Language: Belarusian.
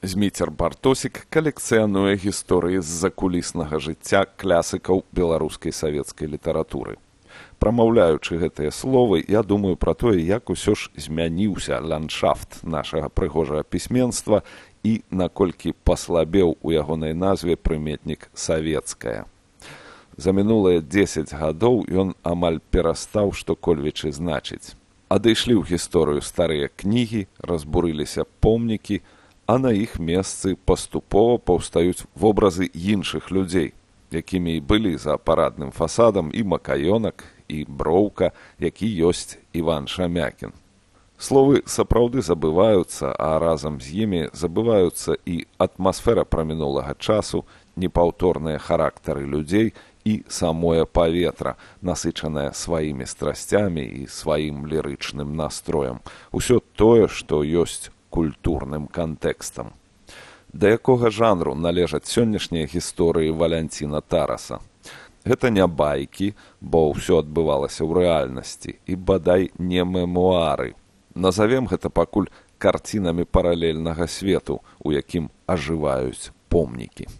Зміцер Бартосік калекцыянуе гісторыі з закуліснага жыцця класікаў беларускай савецкай літаратуры. Прамаўляючы гэтыя словы, я думаю пра тое, як усё ж змяніўся ландшафт нашага прыгожага пісьменства і наколькі паслабеў у ягонай назве прыметнік «савецкая». За мінулыя 10 гадоў ён амаль перастаў што-кольвечы значыць. Адышлі ў гісторыю старыя кнігі, разбурыліся помнікі, а на іх месцы паступова паўстаюць вобразы іншых людзей, якімі і былі за парадным фасадам і Макаёнак, і Броўка, які ёсць Іван Шамякін. Словы сапраўды забываюцца, а разам з імі забываюцца і атмасфера прамінулага часу, непаўторныя характары людзей і самое паветра, насычанае сваімі страсцямі і сваім лірычным настроем. Усё тое, што ёсць культурным кантэкстам. Да якога жанру належаць сённяшнія гісторыі Валянціна Тараса? Гэта не байкі, бо ўсё адбывалася ў рэальнасці, і бадай не мемуары. Назавем гэта пакуль карцінамі паралельнага свету, у якім ажываюць помнікі.